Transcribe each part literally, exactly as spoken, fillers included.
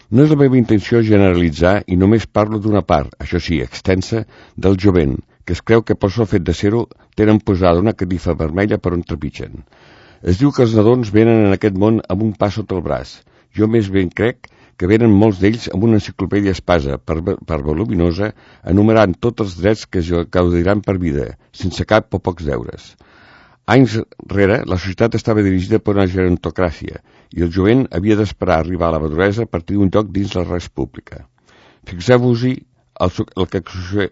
No és la meva intenció generalitzar i només parlo d'una part, això sí, extensa, del jovent, que es creu que per sol fet de ser-ho tenen posada una catifa vermella per on trepitgen. Es diu que els nadons venen en aquest món amb un pa sota el braç. Jo més ben crec que venen molts d'ells amb una enciclopèdia espasa per, per voluminosa, enumerant tots els drets que gaudiran per vida, sense cap o pocs deures. Anys rere, la societat estava dirigida per una gerontocràcia i el jovent havia d'esperar arribar a la maduresa a partir d'un lloc dins la res pública. Fixeu-vos-hi el, el que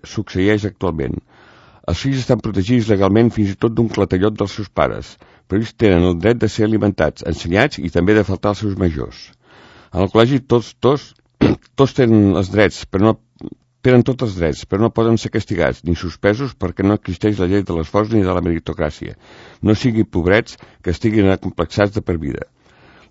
succeeix actualment. Els fills estan protegits legalment fins i tot d'un clatellot dels seus pares, però ells tenen el dret de ser alimentats, ensenyats i també de faltar als seus majors. En el col·legi tots, tots, tots tenen els drets, però no tenen tots els drets, però no poden ser castigats ni suspesos perquè no existeix la llei de l'esforç ni de la meritocràcia. No siguin pobrets que estiguin acomplexats de per vida.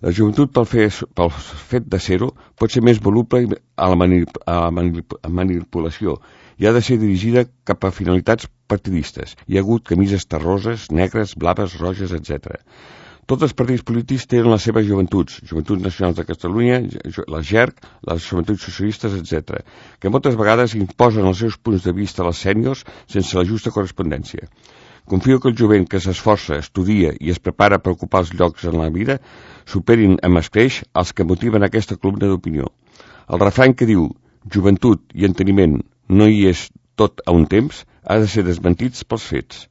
La joventut, pel, fer, pel fet de ser-ho, pot ser més voluble a la, manip, a la manipulació i ha de ser dirigida cap a finalitats partidistes. Hi ha hagut camises terroses, negres, blaves, roges, etcètera. Tots els partits polítics tenen les seves joventuts, Joventuts Nacionals de Catalunya, la G E R C, les Joventuts Socialistes, etcètera, que moltes vegades imposen els seus punts de vista a les sèniors sense la justa correspondència. Confio que el jovent que s'esforça, estudia i es prepara per ocupar els llocs en la vida superin amb escreix els que motiven aquesta columna d'opinió. El refrany que diu joventut i enteniment no hi és tot a un temps ha de ser desmentits pels fets.